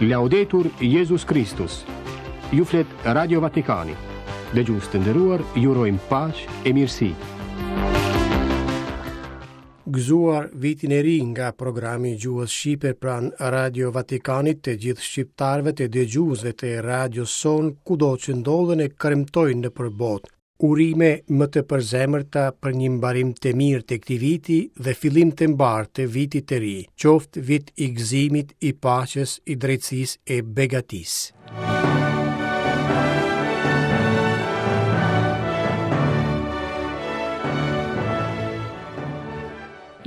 Laudetur Jezus Kristus. Ju flet Radio Vatikani. Dëgjues të nderuar, ju urojmë paqe e mirësi. Gëzuar vitin e ri nga programi i gjuhës shqipe pranë Radio Vatikanit të gjithë shqiptarëve të dëgjuesve të radios sonë kudo që ndodhen e kremtojnë nëpër botë. Urime më të përzemërta për një mbarim të mirë të këtij viti dhe fillim të mbarë të vitit të ri, qoftë vit i gëzimit, i paqes, i drejtësisë e begatisë.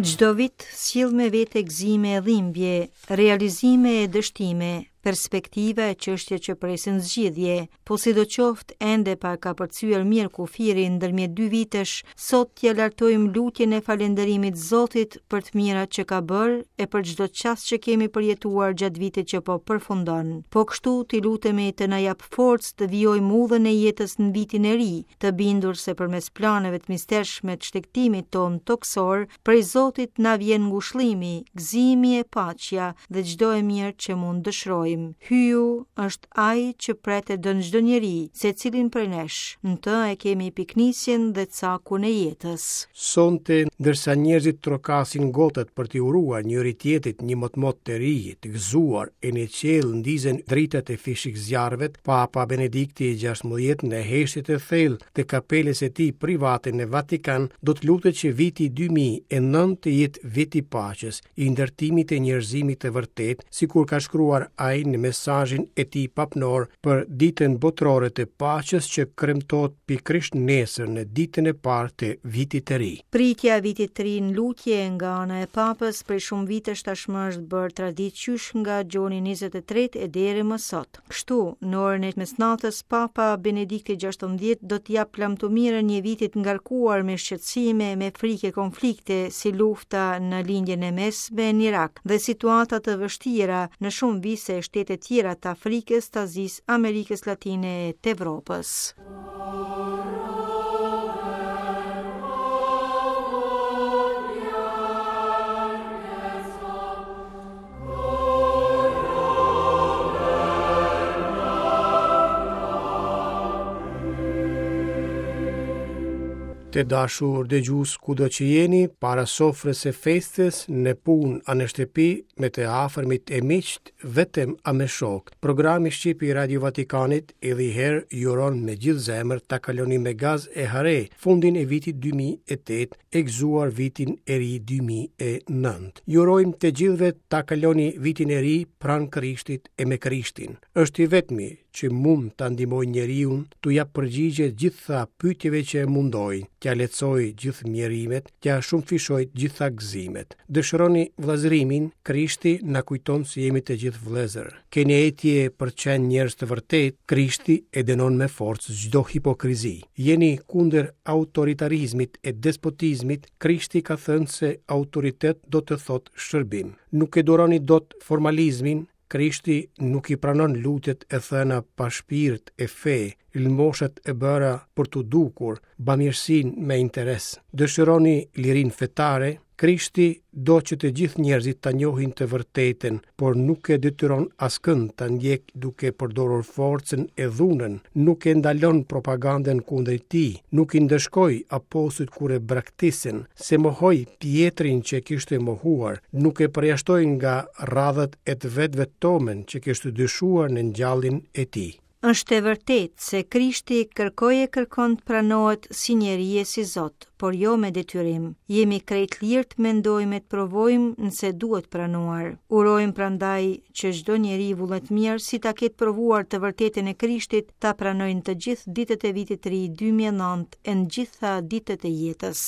Çdo vit sjell me vete gëzime e dhimbje, realizime e dështime, perspektiva e çështje që presin zgjidhje, Po sidoqoftë, ende pa kapërcyer mirë kufirin ndërmjet dy vitesh, sot t'ia lartojmë lutjen e falënderimit Zotit për të mirat që ka bërë e për çdo çast që kemi përjetuar gjatë vitit që po përfundon. Po kështu t'i lutemi të na japë forcë të vijojmë udhën e jetës në vitin e ri, të bindur se përmes planeve të mistershme të shtegtimit tonë tokësor, prej Zotit na vjen ngushëllimi, gëzimi e paqja dhe çdo e mirë që mund dëshirojmë. Hyju është Ai që pret e don çdo njeri, secilin prej nesh, në të e kemi pikënisjen dhe cakun e jetës. Sonte, ndërsa njerëzit trokasin gotat për t'i uruar njëri-tjetrit një motmot të ri, të gëzuar, e në qiell ndizen dritat e fishekzjarrëve, Papa Benedikti i 16 në heshtje të thellë të kapelës së tij private në Vatikan do të lutet që viti 2009 të jetë vit i paqes, i ndërtimit të njerëzimit të vërtetë, sikur ka shkruar ai në mesazhin e tij papnor për Ditën Botërore të Paqes që kremtohet pikërisht nesër në ditën e parë të vitit të ri. Pritja e vitit të ri në lutje nga ana e Papës prej shumë vitesh tashmë është bërë traditë qysh nga Gjoni 23 e deri më sot. Kështu, në orën e mesnatës, Papa Benedikti XVI do t'i japë lamtumirën një viti të ngarkuar me shqetësime, me frikë e konflikte, si lufta në Lindjen e Mesme në Irak dhe situata të vështira në shumë vise e shtete tjera të Afrikës, të Azisë, Amerikës Latine e të Evropës. Të dashur dëgjues kudo që jeni, para sofrës së festës, në punë a në shtëpi, me të afërmit e miqtë, vetëm a me shokë. Programi Shqip i Radio Vatikanit edhe një herë ju uron me gjithë zemër ta kaloni me gaz e hare fundin e vitit 2008 e gëzuar vitin e ri 2009. Ju urojmë të gjithëve ta kaloni vitin e ri pranë Krishtit e me Krishtin. Është i vetmi që mund ta ndihmojë njeriun t'u japë përgjigje gjitha pyetjeve që e mundojnë, t'ia lehtësojë gjithë mjerimet, t'ia shumëfishojë gjitha gëzimet. Dëshironi vëllazërimin, Krishti na kujton se jemi të gjithë vëllezër. Keni etje për të qenë njerëz të vërtetë, Krishti e dënon me forcë çdo hipokrizi. Jeni kundër autoritarizmit e despotizmit, Krishti ka thënë se autoritet do të thotë shërbim. Nuk e duroni dot formalizmin, Krishti nuk i pranon lutjet e thëna pa shpirt e fe, lëmoshat e bëra për t'u dukur, bamirësinë me interes. Dëshironi lirinë fetare, Krishti do që të gjithë njerëzit ta njohin të vërtetën, por nuk e detyron askënd ta ndjekë duke përdorur forcën e dhunën, nuk e ndalon propagandën kundër tij, nuk i ndëshkoi apostujt kur e braktisën, s'e mohoi Pjetrin që e kishte mohuar, nuk e përjashtoi nga radhët e të vetëve Tomën që kishte dyshuar në ngjalljen e tij. Është e vërtetë se Krishti kërkoi e kërkon të pranohet si njeri e si Zot, por jo me detyrim. Jemi krejt lirë të mendojmë e të provojmë nëse duhet pranuar. Urojmë prandaj që çdo njeri vullnetmirë si ta ketë provuar të vërtetën e Krishtit, ta pranojë në të gjithë ditët e vitit të ri 2009 e në gjitha ditët e jetës.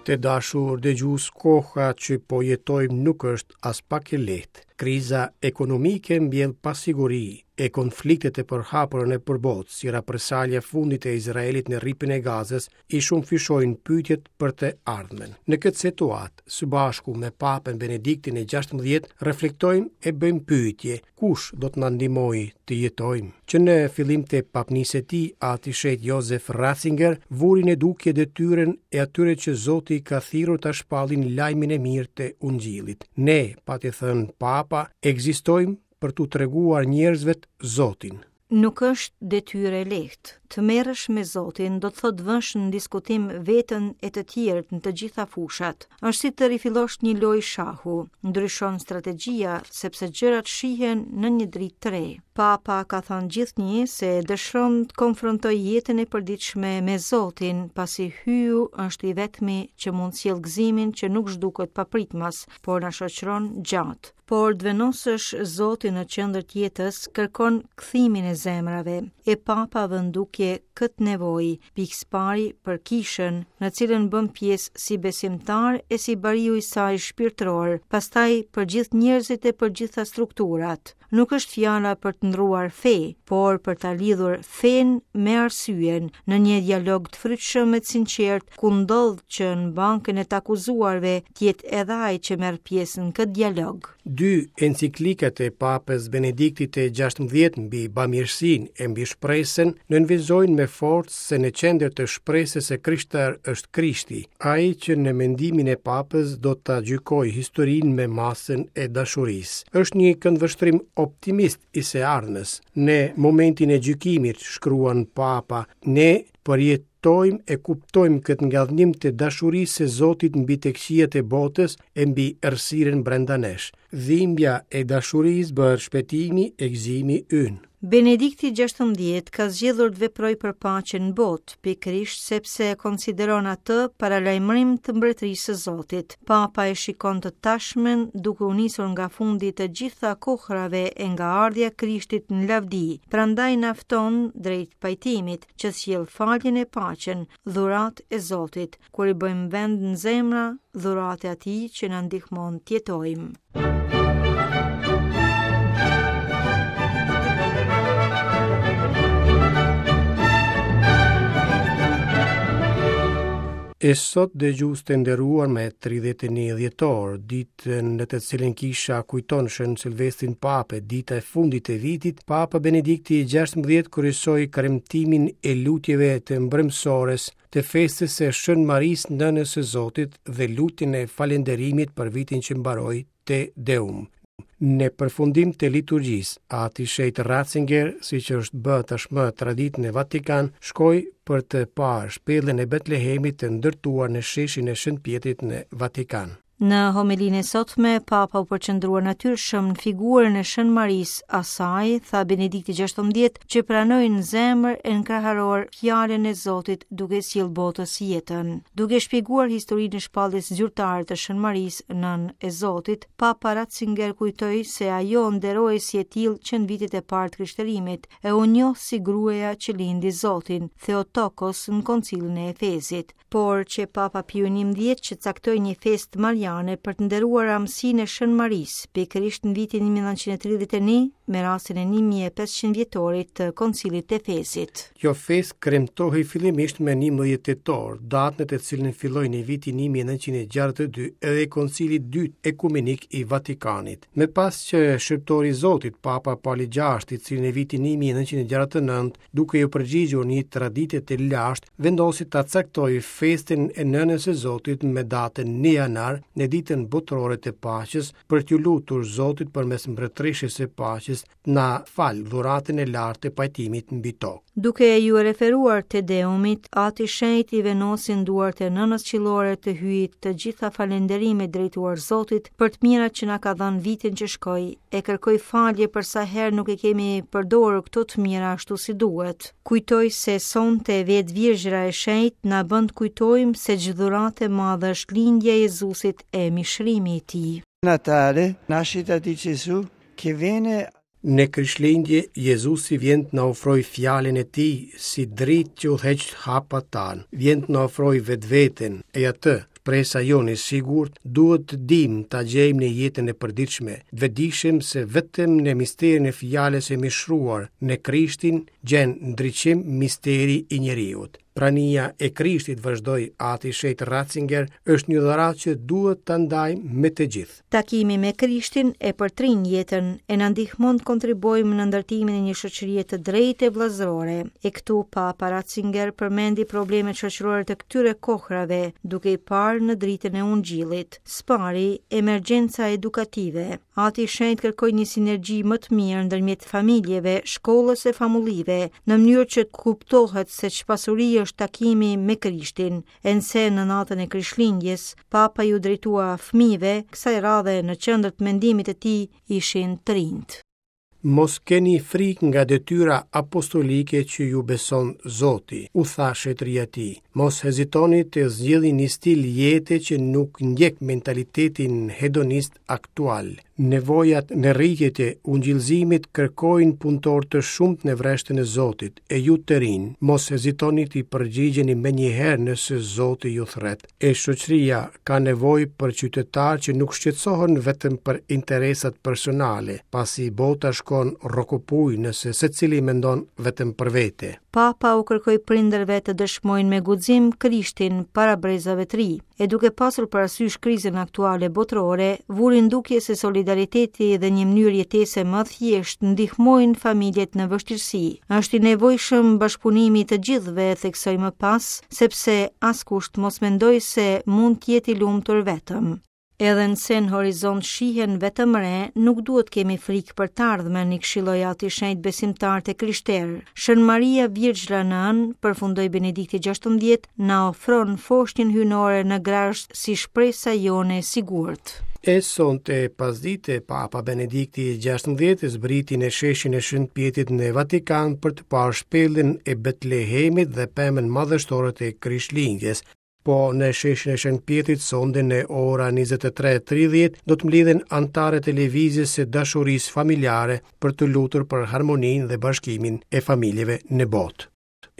Të dashur dëgjues, koha që po jetojmë nuk është aspak e lehtë. Kriza ekonomike mbjell pasiguri e konfliktet e përhapura nëpër botë, si represalja e fundit e Izraelit në Rripin e Gazës, i shumëfishojnë pyetjet për të ardhmen. Në këtë situatë, së bashku me Papën Benediktin e 16, reflektojmë e bëjmë pyetje, kush do të na ndihmojë të jetojmë? Që në fillim të papnisë së tij, Ati i Shenjtë Josef Ratzinger vuri në dukje detyrën e atyre që Zoti i ka thirrur ta shpallin lajmin e mirë të Ungjillit. Ne, pati thënë Papa, ekzistojmë për t'u treguar njerëzve Zotin. Nuk është detyrë e lehtë. Të merresh me Zotin do të thotë të vësh në diskutim veten e të tjerët në të gjitha fushat. Është si të rifillosh një lojë shahu. Ndryshon strategjia sepse gjërat shihen në një dritë të re. Papa ka thënë gjithnjë se dëshiron të konfrontojë jetën e përditshme me Zotin, pasi Hyju është i vetmi që mund të sjellë gëzimin që nuk zhduket papritmas, por na shoqëron gjatë. Por të vendosësh Zotin në qendër të jetës kërkon kthimin e zemrave. E Papa vë në dukje këtë nevojë, pikësëpari për kishën, në cilën bën pjesë si besimtar e si bariu i saj shpirtëror, pastaj për gjithë njerëzit e për gjitha strukturat. Nuk është fjala për të ndrruar fe, por për ta lidhur fenë me arsyen në një dialog të frytshëm e të sinqertë ku ndodh që në bankën e të akuzuarve të jetë edhe ai që merr pjesë në këtë dialog. Dy enciklikat e Papës Benediktit të 16 mbi bamirësinë e mbi shpresën nënvizojnë me forcë se në qendër të shpresës së krishterë është Krishti, ai që në mendimin e Papës do ta gjykojë historinë me masën e dashurisë. Është një këndvështrim optimist i së ardhmes. Në momentin e gjykimit, shkruan Papa, ne përjetojmë e kuptojmë këtë ngadhënjim të dashurisë së Zotit mbi të këqijat e botës e mbi errësirën brenda nesh. Dhimbja e dashurisë bëhet shpëtimi e gëzimi ynë. Benedikti 16 ka zgjedhur të veprojë për paqen në botë, pikërisht sepse e konsideron atë paralajmërim të mbretërisë së Zotit. Papa e shikon të tashmen duke u nisur nga fundi i të gjitha kohërave e nga ardhja e Krishtit në lavdi, prandaj na fton drejt pajtimit, që sjell faljen e paqen, dhuratë e Zotit, kur i bëjmë vend në zemra, dhuratë e atij që na ndihmon të jetojmë. E sot dëgjues të nderuar me 31 dhjetor, ditën në të cilën kisha kujton Shën Silvestrin Papë, dita e fundit e vitit, Papa Benedikti i 16 kryesoi kremtimin e lutjeve të mbrëmësores të festës së Shën Marisë Nënës së Zotit dhe lutjen e falënderimit për vitin që mbaroi Te Deum. Në përfundim të liturgjisë, Ati i Shenjtë Ratzinger, siç është bërë tashmë traditë në Vatikan, shkoi për të parë shpellën e Betlehemit të ndërtuar në sheshin e Shën Pjetrit në Vatikan. Në homelinë e sotme, Papa u përqendrua natyrshëm në figurën e Shën Marisë, asaj, tha Benedikti XVI, që pranoi në zemër e në kraharor fjalën e Zotit duke sjellë botës jetën. Duke shpjeguar historinë e shpalljes zyrtare të Shën Marisë, nënë e Zotit, Papa Ratzinger kujtoi se ajo nderohej si e tillë që në vitet e parë të krishterimit e u njoh si gruaja që lindi Zotin, Theotokos në Koncilin e Efezit. Por qe Papa Piu XI që caktoi një festë mariane për të nderuar amësinë e Shën Marisë, pikërisht në vitin 1931, me rastin e 1500 vjetorit të Koncilit të Efezit. Kjo festë kremtohej fillimisht më 11 tetor, datë në të cilën filloi në vitin 1962 edhe Koncili i Dytë Ekumenik i Vatikanit. Më pas qe shërbëtori i Zotit, Papa Pali VI, i cili në vitin 1969, duke iu përgjigjur një tradite të lashtë, vendosi ta caktojë festën e Nënës së Zotit me datën 1 janar, në ditën botërore të paqes, për t'iu lutur Zotit përmes Mbretëreshës së Paqes të na falë dhuratën e lartë të pajtimit mbi tokë. Duke iu referuar Te Deumit, Ati i Shenjtë i vendosi në duart e Nënës Qiellore të Hyjit të gjitha falënderimet drejtuar Zotit për të mirat që na ka dhënë vitin që shkoi, e kërkoi falje për sa herë nuk i kemi përdorur këto të mira ashtu si duhet. Kujtoi se sonte vetë Virgjëra e Shenjtë na bën të kujtojmë se ç'dhuratë e madhe është lindja e Jezusit e mishërimi i tij. Natale, nascita di Gesù, che viene Në Krishtlindje, Jezusi vjen të na ofrojë fjalën e tij si dritë që udhëheq hapat tanë, vjen të na ofrojë vetveten e atë. Shpresa jonë e sigurt duhet të dimë ta gjejmë në jetën e përditshme, të vetëdijshëm se vetëm në misterin e fjalës së mishëruar në Krishtin gjen ndriçim misteri i njeriut. Prania e Krishtit, vazhdoi Ati i Shenjtë Ratzinger, është një dhuratë që duhet ta ndajmë me të gjithë. Takimi me Krishtin e përtrin jetën e na ndihmon të kontribuojmë në ndërtimin e një shoqërie të drejtë e vëllazërore. E këtu Papa Ratzinger përmendi problemet shoqërore të këtyre kohrave, duke i parë në dritën e Ungjillit. Së pari, emergjenca edukative. Ati i Shenjtë kërkoi një sinergji më të mirë ndërmjet familjeve, shkollës e famullive, në mënyrë që të kuptohet se ç'pasuri është takimi me Krishtin. E nëse në natën e Krishtlindjes, Papa iu drejtua fëmijëve, kësaj radhe në qendër të mendimit të tij ishin të rinjtë. Mos keni frikë nga detyra apostolike që ju beson Zoti, u tha shenjtëria e tij. Mos hezitoni të zgjidhni një stil jete që nuk ndjek mentalitetin hedonist aktual. Nevojat në rritje të ungjillëzimit kërkojnë punëtorë të shumtë në vreshtën e Zotit, e ju të rinj, mos hezitoni t'i përgjigjeni menjëherë nëse Zoti ju thërret. E shoqëria ka nevojë për qytetarë që nuk shqetësohen vetëm për interesat personale, pasi bota shkon rrokopujë nëse secili mendon vetëm për vete. Papa u kërkoi prindërve të dëshmojnë me guxim Krishtin para brezave të ri, e duke pasur parasysh krizën aktuale botërore, vuri në dukje se solidariteti dhe një mënyrë jetese më e thjeshtë ndihmojnë familjet në vështirësi. Është i nevojshëm bashkëpunimi i të gjithëve, theksoi më pas, sepse askush të mos mendojë se mund të jetë i lumtur vetëm. Edhe nëse në horizont shihen vetëm re, nuk duhet të kemi frikë për të ardhmen, i këshilloi Ati i Shenjtë besimtarët e krishterë. Shën Maria Virgjra Nënë, përfundoi Benedikti XVI, na ofron foshnjën hyjnore në grazhd si shpresa jonë e sigurt. E sonte pasdite, Papa Benedikti XVI zbriti në sheshin e Shën Pjetrit në Vatikan për të parë shpellën e Betlehemit dhe pemën madhështore të Krishtlindjes. Po në sheshin e Shën Pjetrit sonte në ora 23:30 do të mblidhen anëtarët e lëvizjes së dashurisë familjare për t'u lutur për harmoninë dhe bashkimin e familjeve në botë.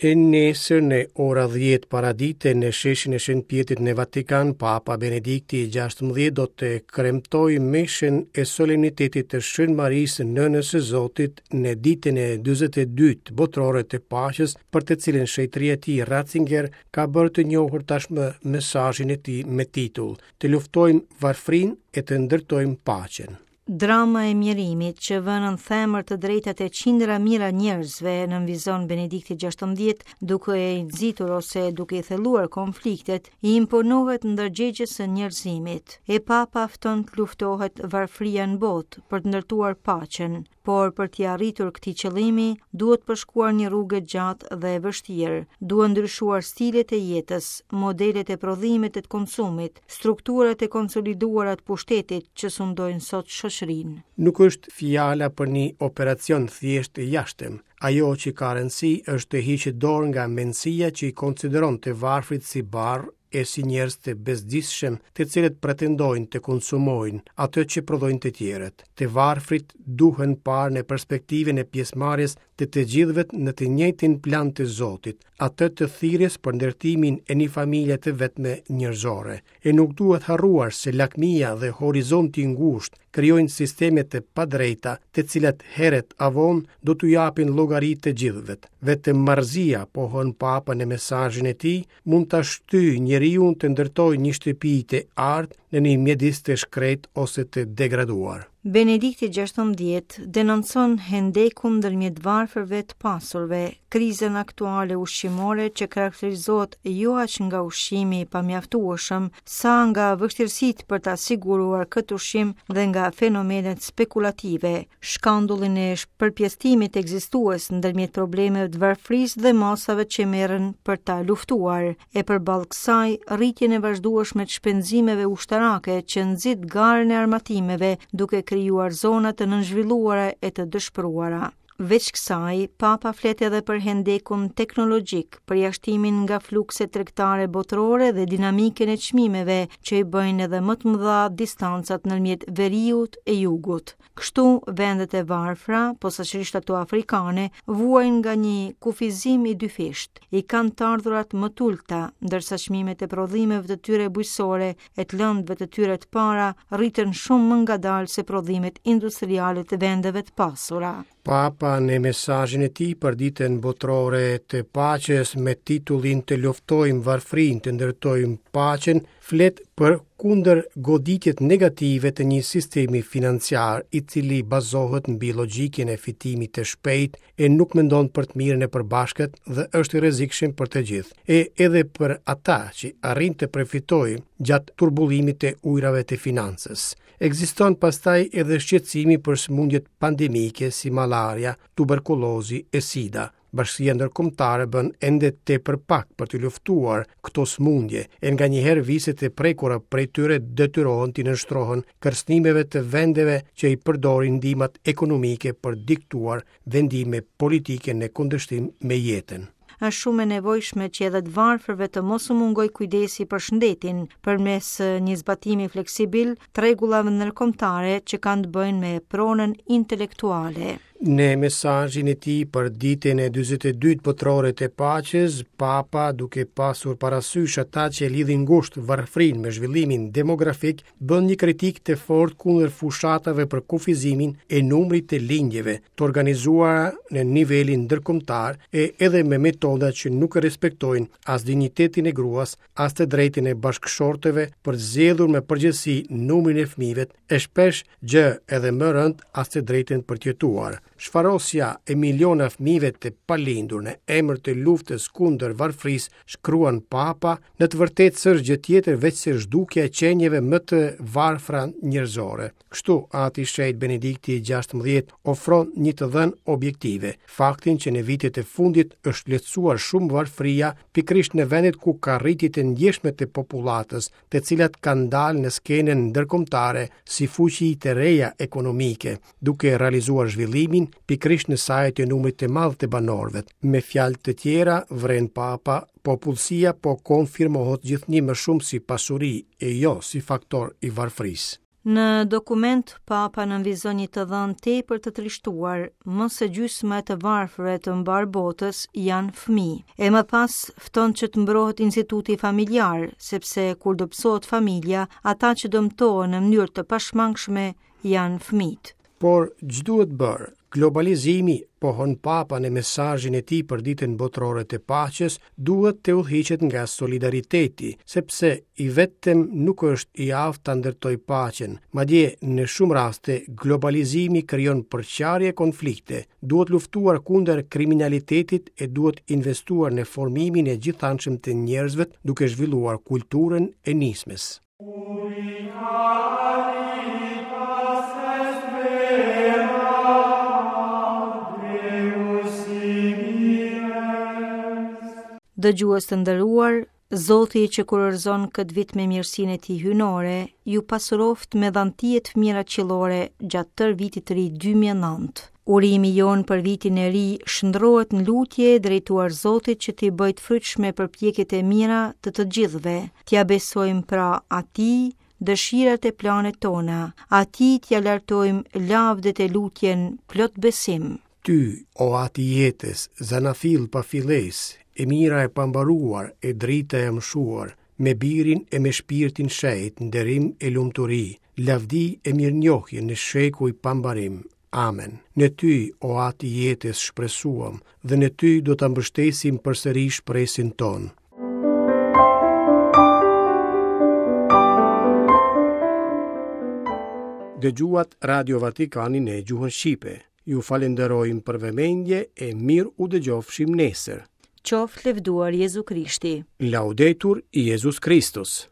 E nesër në ora 10 paradite në sheshin e Shën Pjetrit në Vatikan, Papa Benedikti i 16 do të kremtojë meshën e solemnitetit të Shën Marisë Nënës së Zotit në ditën e 42 botërore të paqes, për të cilën shenjtëria e tij Ratzinger ka bërë të njohur tashmë mesazhin e tij me titull Të luftojmë varfërinë e të ndërtojmë paqen. Drama e mjerimit që vë nën themër të drejtat e qindra mijëra njerëzve, nënvizon Benedikti XVI, duke i nxitur ose duke i thelluar konfliktet, i imponohet ndërgjegjes së njerëzimit. E Papa fton të luftohet varfëria në botë për të ndërtuar paqen, por për t'i arritur këtij qëllimi duhet përshkuar një rrugë e gjatë dhe e vështirë. Duhen ndryshuar stilet e jetës, modelet e prodhimit e të konsumit, strukturat e konsoliduara të pushtetit që sundojnë sot shoqërinë. Nuk është fjala për një operacion thjesht të jashtëm. Ajo që ka rëndësi është të hiqet dorë nga mendësia që i konsideron të varfrit si barrë e si njerëz të bezdisshëm, të cilët pretendojnë të konsumojnë atë që prodhojnë të tjerët. Të varfrit duhen parë në perspektivën e pjesëmarrjes të të gjithëve në të njëjtin plan të Zotit, atë të thirrjes për ndërtimin e një familje të vetme njerëzore. E nuk duhet harruar se lakmia dhe horizonti i ngushtë krijojnë sisteme të padrejta, të cilat herët a vonë do t'u japin llogari të gjithëve. Vetëm marrëzia, pohon Papa në mesazhin e tij, mund ta shtyjë njeriun të ndërtojë një shtëpi të artë në një mjedis të shkretë ose të degraduar. Benedikti XVI denoncon hendekun ndërmjet varfërve të pasurve, krizën aktuale ushqimore që karakterizohet jo aq nga ushqimi i pamjaftueshëm, sa nga vështirësitë për ta siguruar këtë ushqim dhe nga fenomenet spekulative, shkandullin e përpjesëtimit ekzistues ndërmjet problemeve të varfërisë dhe masave që merren për ta luftuar, e përballë kësaj rritjen e vazhdueshme të shpenzimeve ushtarake që nxit garën e armatimeve duke krijuar zona të nënzhvilluara e të dëshpëruara. Veç kësaj, Papa flet edhe për hendekun teknologjik, përjashtimin nga flukset tregtare botërore dhe dinamikën e çmimeve që i bëjnë edhe më të mëdha distancat ndërmjet veriut e jugut. Kështu, vendet e varfra, posaçërisht ato afrikane, vuajnë nga një kufizim i dyfishtë. I kanë të ardhurat më të ulëta, ndërsa çmimet e prodhimeve të tyre bujqësore e të lëndëve të tyre të para rriten shumë më ngadalë se prodhimet industriale të vendeve të pasura. Papa në mesazhin e tij për ditën botërore të paqes me titullin Të luftojmë varfërinë, të ndërtojmë paqen, flet për kundërgoditjet negative të një sistemi financiar i cili bazohet mbi logjikën e fitimit të shpejtë e nuk mendon për të mirën e përbashkët dhe është i rrezikshëm për të gjithë, e edhe për ata që arrijnë të përfitojnë gjatë turbullimit të ujërave të financës. Ekziston pastaj edhe shqetësimi për sëmundjet pandemike si malaria, tuberkulozi e sida. Bashkësia ndërkombëtare bën ende tepër pak për të luftuar këto sëmundje, e nganjëherë viset e prekura prej tyre detyrohen t'i nënshtrohen kërcënimeve të vendeve që i përdorin ndihmat ekonomike për të diktuar vendime politike në kundërshtim me jetën. Është shumë e nevojshme që edhe të varfërve të mos u mungojë kujdesi për shëndetin, përmes një zbatimi fleksibil të rregullave ndërkombëtare që kanë të bëjnë me pronën intelektuale. Në mesazhin e tij për ditën e 42 botërore të paqes, Papa, duke pasur parasysh ata që e lidhin ngushtë varfërinë me zhvillimin demografik, bën një kritikë të fortë kundër fushatave për kufizimin e numrit të lindjeve, të organizuara në nivelin ndërkombëtar e edhe me metoda që nuk respektojnë as dinjitetin e gruas, as të drejtën e bashkëshortëve për të zgjedhur me përgjegjësi numrin e fëmijëve, e shpesh gjë edhe më rëndë as të drejtën për të jetuar. Shfarosja e miliona fëmijëve të palindur në emër të luftës kundër varfërisë, shkruan Papa, në të vërtetë s'është gjë tjetër veçse zhdukja e qenieve më të varfra njerëzore. Kështu, Ati i Shenjtë Benedikti i 16 ofron një të dhënë objektive, faktin që në vitet e fundit është lehtësuar shumë varfëria pikërisht në vendet ku ka rritje të ndjeshme të popullatës, të cilat kanë dalë në skenën ndërkombëtare si fuqi të reja ekonomike, duke realizuar zhvillimin pikërisht në saje të numrit të madh të banorëve. Me fjalë të tjera, vren Papa, popullsia po konfirmohet gjithnjë më shumë si pasuri e jo si faktor i varfërisë. Në dokument, Papa nënvizon një të dhënë tepër të trishtuar, më se gjysma e të varfërve të mbarë botës janë fëmijë. E më pas fton që të mbrohet instituti familjar, sepse kur dobësohet familja, ata që dëmtohen në mënyrë të pashmangshme janë fëmijët. Por ç'duhet bërë? Globalizimi, pohon Papa në mesazhin e tij për Ditën Botërore të Paqes, duhet të udhëhiqet nga solidariteti, sepse i vetëm nuk është i aftë ta ndërtojë paqen. Madje, në shumë raste, globalizimi krijon përçarje e konflikte. Duhet luftuar kundër kriminalitetit e duhet investuar në formimin e gjithanshëm të njerëzve duke zhvilluar kulturën e nismës. Dëgjues të nderuar, Zoti që kurorëzon këtë vit me mirësinë e tij hyjnore, ju pasuroftë me dhanti e të mira qiellore gjatë tërë vitit të ri 2009. Urimi jonë për vitin e ri shndërrohet në lutje drejtuar Zotit që t'i bëjë të frytshme përpjekjet e mira të të gjithëve. T'ia besojmë pra atij dëshirat e planet tona, atij t'ia lartojmë lavdet e lutjen plot besim. Ty, o At i jetës, zanafillë pa fillesë, e mira e pambaruar, e drita e amshuar, me Birin e me Shpirtin Shenjt, nderim e lumturi, lavdi e mirënjohje në shekuj pa mbarim. Amen. Në ty, o At i jetës, shpresuam dhe në ty do ta mbështesim përsëri shpresën tonë. Dëgjuat Radio Vatikanin në gjuhën shqipe. Ju falënderojmë për vëmendje e mirë u dëgjofshim nesër. Qoftë lëvduar Jezu Krishti. Laudetur Jezus Kristus.